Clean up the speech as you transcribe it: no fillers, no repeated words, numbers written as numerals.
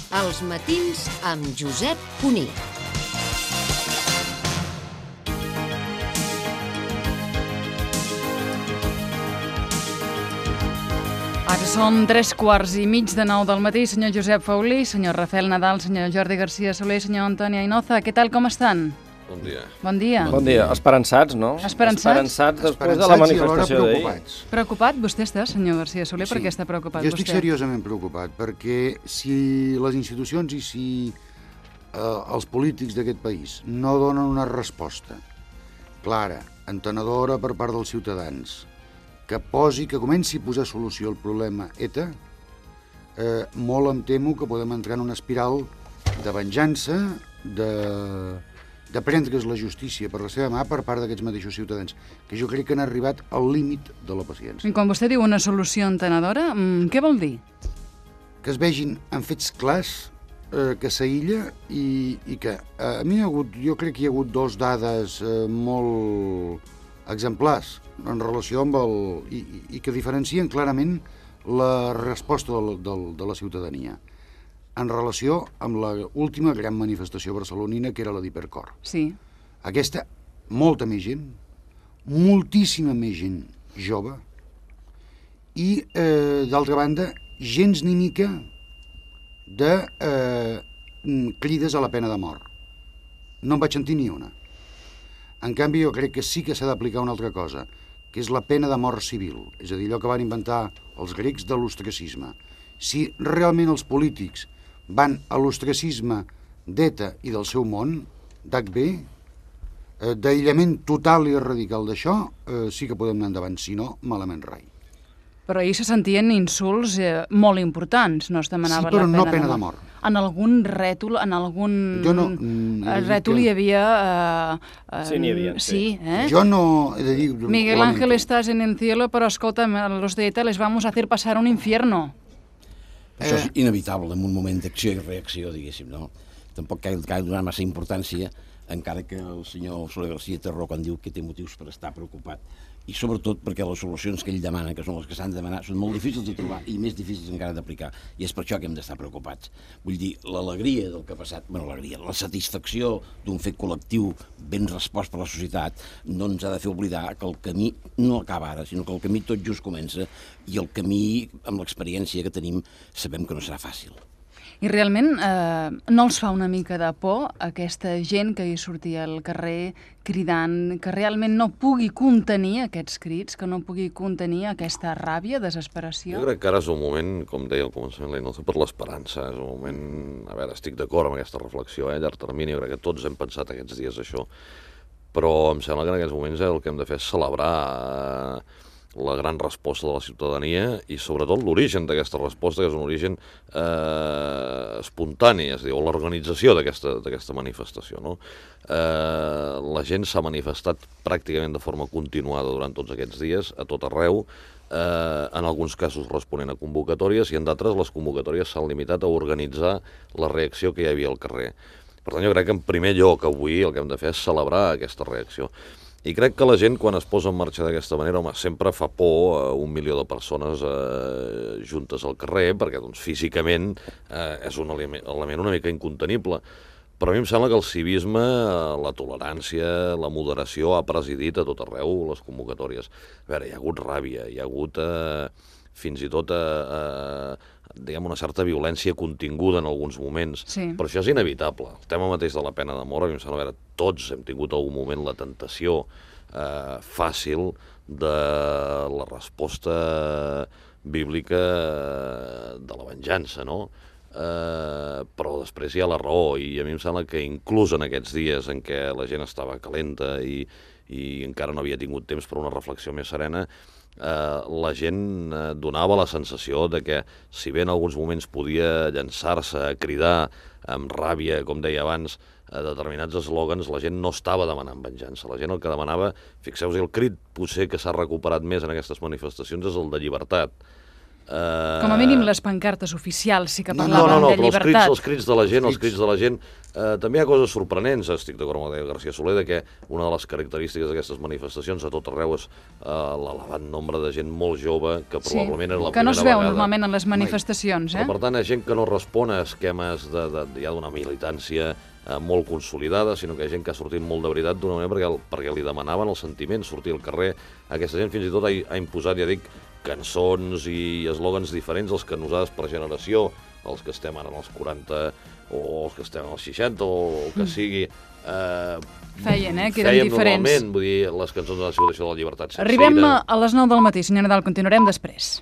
Els matins amb Josep Cuní. Ara són 3:15 del matí, senyor Josep Faulí, senyor Rafael Nadal, senyor Jordi García Soler, senyor Antoni Ainoza. Què tal, com estan? Bon dia. Bon dia. Bon dia. Esperançats, no? Esperançats després de la manifestació d'ahir. Preocupat vostè està, senyor García Soler? Sí. Per què està preocupat Jo vostè? estic seriosament preocupat, perquè si les institucions i si els polítics d'aquest país no donen una resposta clara, entenedora per part dels ciutadans, que comenci a posar solució al problema ETA, molt em temo que podem entrar en una espiral de venjança, de prendre's la justícia per la seva mà per part d'aquests mateixos ciutadans, que jo crec que han arribat al límit de la paciència. I quan vostè diu una solució entenedora, què vol dir? Que es vegin en fets clars, que s'aïlla i que a mi jo crec que hi ha hagut dos dades molt exemplars en relació amb i que diferencien clarament la resposta de la ciutadania en relació amb l'última gran manifestació barcelonina, que era la d'Hipercor. Sí. Aquesta, molta més gent, moltíssima més gent jove i, d'altra banda, gens ni mica de crides a la pena de mort. No en vaig sentir ni una. En canvi, jo crec que sí que s'ha d'aplicar una altra cosa, que és la pena de mort civil, és a dir, allò que van inventar els grecs de l'ostracisme. Si realment els polítics van a l'ostracisme d'ETA i del seu món, d'HB, d'aïllament total i radical d'això, sí que podem anar endavant, si no, malament rai. Però ahir se sentien insults molt importants, no es demanava sí, però la no pena pena de de mort. mort. En algun rètol, en algun rètol hi havia... Sí, n'hi havia, sí. Jo no he de dir... Miguel Ángel, estás en el cielo, però escolta'm, los de ETA les vamos a hacer pasar un infierno. Això és inevitable en un moment d'acció i reacció, diguéssim, no? Tampoc cal donar massa importància, encara que el senyor Soler García té raó quan diu que té motius per estar preocupat. I sobretot perquè les solucions que ell demana, que són les que s'han de demanar, són molt difícils de trobar i més difícils encara d'aplicar. I és per això que hem d'estar preocupats. Vull dir, l'alegria del que ha passat, la satisfacció d'un fet col·lectiu ben respost per la societat, no ens ha de fer oblidar que el camí no acaba ara, sinó que el camí tot just comença i el camí, amb l'experiència que tenim, sabem que no serà fàcil. I realment no els fa una mica de por aquesta gent que hi sortia al carrer cridant, que realment no pugui contenir aquests crits, que no pugui contenir aquesta ràbia, desesperació? Jo crec que ara és un moment, com deia al començament, l'Ainoza, per l'esperança. És un moment... A veure, estic d'acord amb aquesta reflexió, a llarg termini. Jo crec que tots hem pensat aquests dies això. Però em sembla que en aquests moments el que hem de fer és celebrar la gran resposta de la ciutadania i sobretot l'origen d'aquesta resposta, que és un origen espontani, és a dir, l'organització d'aquesta manifestació, no? La gent s'ha manifestat pràcticament de forma continuada durant tots aquests dies, a tot arreu, en alguns casos responent a convocatòries i en d'altres les convocatòries s'han limitat a organitzar la reacció que hi havia al carrer. Per tant, jo crec que en primer lloc avui el que hem de fer és celebrar aquesta reacció. I crec que la gent, quan es posa en marxa d'aquesta manera, home, sempre fa por 1 milió de persones juntes al carrer, perquè doncs, físicament és un element una mica incontenible. Però a mi em sembla que el civisme, la tolerància, la moderació ha presidit a tot arreu les convocatòries. A veure, hi ha hagut ràbia, hi ha hagut fins i tot diguem, una certa violència continguda en alguns moments, sí. Però això és inevitable. El tema mateix de la pena de mort, a mi em sembla, tots hem tingut algun moment la tentació fàcil de la resposta bíblica de la venjança, no? Però després hi ha la raó, i a mi em sembla que inclús en aquests dies en què la gent estava calenta i encara no havia tingut temps per una reflexió més serena, la gent donava la sensació de que, si bé en alguns moments podia llançar-se a cridar amb ràbia, com deia abans, a determinats eslògans, la gent no estava demanant venjança. La gent el que demanava, fixeu-vos, el crit potser que s'ha recuperat més en aquestes manifestacions és el de llibertat. Com a mínim les pancartes oficials sí que No, parlaven de però llibertat. els crits de la gent, també hi ha coses sorprenents, estic d'acord amb el García Soler, que una de les característiques d'aquestes manifestacions a tot arreu és l'elevat nombre de gent molt jove, que probablement era la que no primera es veu vegada. normalment en les manifestacions, Però, per tant, hi ha gent que no respon a esquemes ja d'una militància molt consolidada, sinó que hi ha gent que ha sortit molt de veritat d'una manera perquè li demanaven el sentiment, sortir al carrer. Aquesta gent fins i tot ha imposat, ja dic, cançons i eslògans diferents als que nosaltres per generació, els que estem ara en els 40 o els que estem en els 60 o el que sigui, Feien, que eren diferents. Normalment, vull dir, les cançons han sigut això de la llibertat sencera. Arribem a les 9 del matí, senyor Nadal, continuarem després.